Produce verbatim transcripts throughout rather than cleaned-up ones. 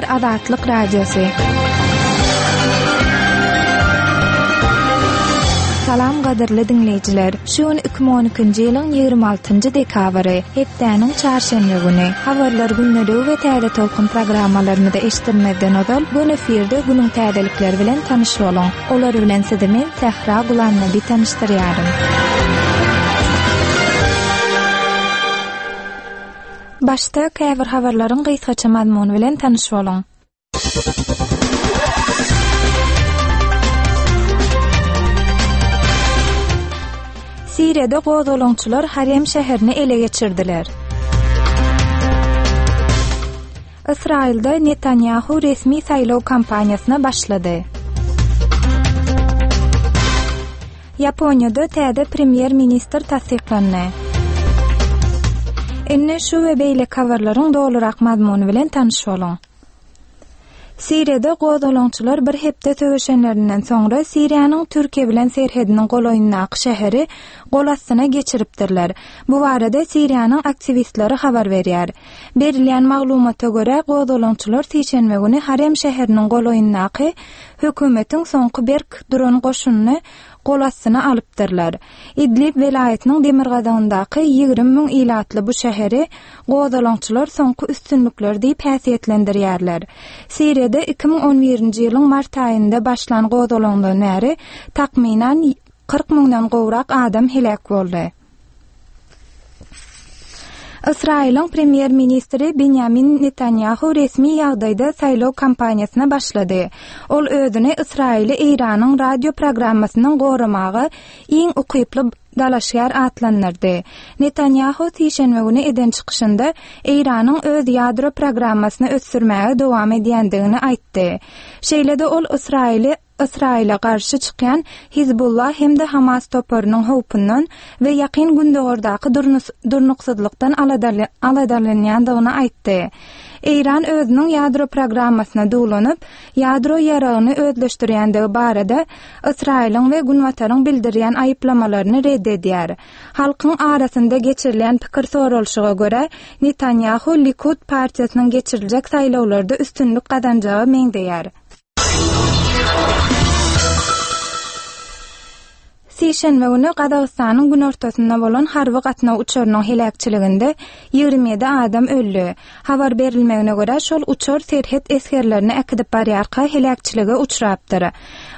gepleýär Azatlyk Radiosy. Salam gadyrly diňleýjiler. Şu gün iki müň on ikinji ýylyň ýigrimi altynjy dekabry, hepdäniň çarşenbe güni. Habarlar gündeligi we täze tolkun programmalarymyzy eşitdirmezden ozal gün efirde günüň täzelikleri bilen tanyş boluň. Olar bilen sizi men Sähra Gulamnabi tanyşdyrýaryn. Başda käbir habarlaryň gysgaça mazmuny bilen tanyş boluň. Siriýada gozgalaňçylar Harem şäherini ele geçirdiler. Ysraýylda Netanyahu resmi saýlaw kampaniýasyna başlady. Ýaponiýada täze premýer-ministr tassyklandy. Indi şu we beýleki habarlaryň dolurak mazmuny bilen tanyş boluň. Siriýada gozgalaňçylar bir hepde söweşenlerinden soňra Siriýanyň Türkiýe bilen serhediniň golaýyndaky şäheri gol astyna geçiripdirler. Bu barada Siriýanyň aktiwistleri habar berýär. Berilýän maglumata görä gozgalaňçylar sişenbe güni Harem şäheriniň golaýyndaky hökümetiň soňky berk duran goşunyny gol astyna alypdyrlar. Idlib welaýatynyň demirgazygyndaky ýigrimi müň ilatly bu şäheri gozgalaňçylar soňky üstünlikler diýip häsiýetlendirýärler. Siriýada iki müň on birinji ýylyň mart aýynda başlan gozgalaňdan bäri takmynan kyrk müňden gowrak adam heläk boldy. Ysraýylyň premýer-ministri Benjamin Netanyahu resmi ýagdaýda saýlaw kampaniýasyna başlady. Ol özüni Ysraýyly Eýranyň radio programmasynyň goramaga iň ukyply dalaşgär atlandyrdy. Netanyahu sişenbe güni eden çykyşynda Eýranyň öz ýadro programmasyny ösdürmäge dowam edýändigini aýtdy. Şeýle-de ol Ysraýyly Ysraýyla garşy çykýan Hizbullah hem-de Hamas toparynyň howpundan we ýakyn gündogardaky durnuksyzlykdan aladalanýandygyny aýtdy. Eýran özüniň ýadro programmasyna duwlanyp, ýadro ýaragyny özleşdirýändigi barada Ysraýylyň we Günbataryň bildirýän aýyplamalaryny red edýär. Halkyň arasynda geçirilen pikir soralyşyga görä, Netanyahu Likud partiýasynyň geçiriljek saýlawlarda üstünlik gazanjagy meňzeýär. Sişenbe güni Gazagystanyň günortasynda bolan harby gatnaw uçarynyň heläkçiliginde ýigrimi ýedi adam öldi. Habar berilmegine görä, şol uçar serhet esgerlerini äkidip barýarka heläkçilige uçrapdyr.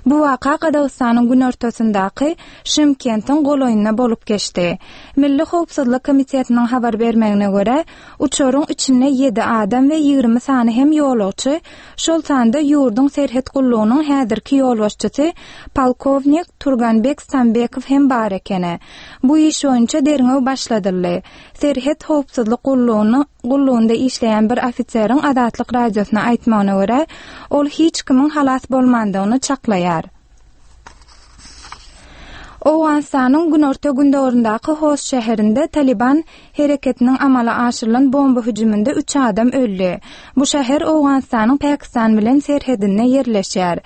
Bu waka Gazagystanyň günortasyndaky Şymkentiň golaýynda bolup geçdi. Milli Howpsuzlyk Komitetiniň habar bermegine görä, uçaryň içinde ýedi adam we ýigrimi sany hem ýolagçy, şol sanda ýurduň serhet gullugynyň häzirki ýolbaşçysy polkownik Turganbek Stambekow hem bar ekeni. Bu iş boýunça derňew başladyldy. Serhet howpsuzlyk gullugyny gullugynda işleýän bir ofiseriň Azatlyk radiosyna aýtmagyna görä, ol hiç kimiň halas bolmandygyny çaklaýar. Owganystanyň günorta gündogaryndaky Host şäherinde Taliban hereketiniň amala aşyrylan bomba hüjüminde üç adam öldi. Bu şäher Owganystanyň Pakistan bilen serhedinde ýerleşýär.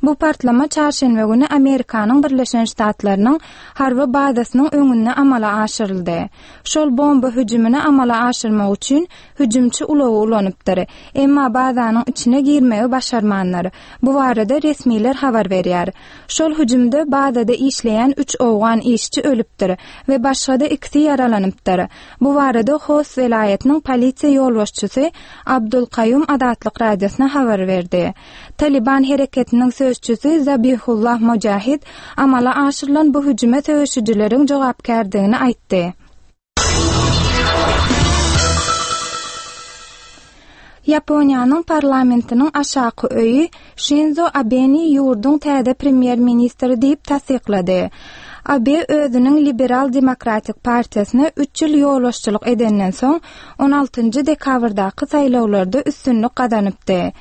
Bu partlama çarşenbe güni Amerikanyň Birleşen Ştatlarynyň harby bazasynyň öňünde amala aşyryldy. Şol bomba hüjümini amala aşyrmak üçin hüjümçi ulagy ulanypdyr. Emma bazanyň içine girmegi başarmanlar. Bu barada resmiler habar berýär. Şol hüjümde bazada işleýän üç owgan işçi ölüpdir we başga-da ikisi ýaralanypdyr. Bu barada Host welaýatynyň polisiýa ýolbaşçysy Abdulkaýum Azatlyk radiosyna habar berdi. Taliban hereketiniň sözçüsi Zabihullah Mujahid amala aşyrylan bu hüjüme söweşijileriň jogapkärdigini aýtdy. Ýaponiýanyň parlamentiniň aşaky öýi Shinzo Abeni ýurduň täze premýer-ministri diýip tassyklady. Abe özüniň Liberal Demokratik partiýasyna üç ýyl ýolbaşçylyk edenden soň on altynjy dekabrdaky saýlawlarda üstünlik gazanypdy.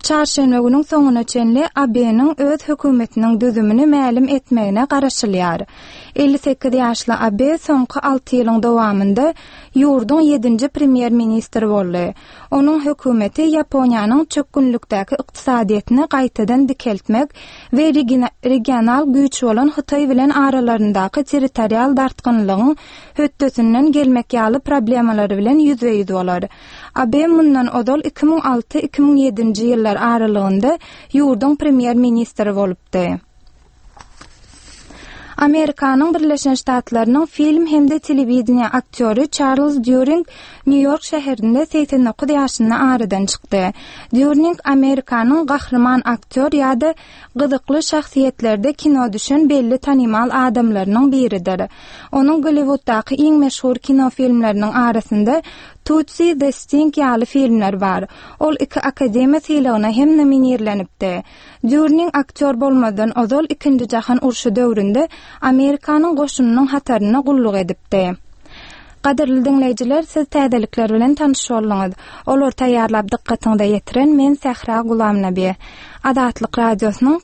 Çarşenbe günüň soňuna çenli Abeniň öz hökümetiniň düzümini mälim etmegine garaşylýar. elli sekiz ýaşly Abe soňky alty ýylyň dowamynda ýurduň ýedinji premýer-ministri boldy. Onuň hökümeti Ýaponiýanyň çökgünlikdäki ykdysadyýetini gaýtadan dikeltmek we regional güýç bolan Hytaý bilen aralaryndaky territorial dartgynlygyň hötdesinden gelmek ýaly problemalary bilen ýüzbe-ýüz bolar. Abe mundan ozal iki müň alty-iki müň ýedinji ýyllar aralygynda ýurduň premýer-ministri bolupdy. Amerikanyň Birleşen Ştatlarynyň film hem-de telewideniýe aktýory Çarlz Dýuring Nýu-Ýork şäherinde segsen dokuz ýaşynda aradan çykdy. Dýurning Amerikanyň gahryman aktýor ýa-da gyzykly şahsyýetlerde kino düşen belli tanymal adamlarynyň biridir. Onuň Golliwuddaky iň meşhur kino filmleriniň arasynda Tootsie, The Sting ýaly filmler bar. Ol iki Akademiýa sylagyna hem nominirlenipdi. Dýurning aktýor bolmazdan ozal Ikinji jahan urşy döwründe Amerikanyň goşunynyň hatarynda gulluk edipdi. Gadyrly diňleýjiler, siz täzelikler bilen tanyş bolduňyz. Olary taýýarlap dykgatyňyza ýetiren men Sähra Gulamnabi. Azatlyk Radiosynyň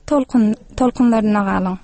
tolkunlarynda galyň.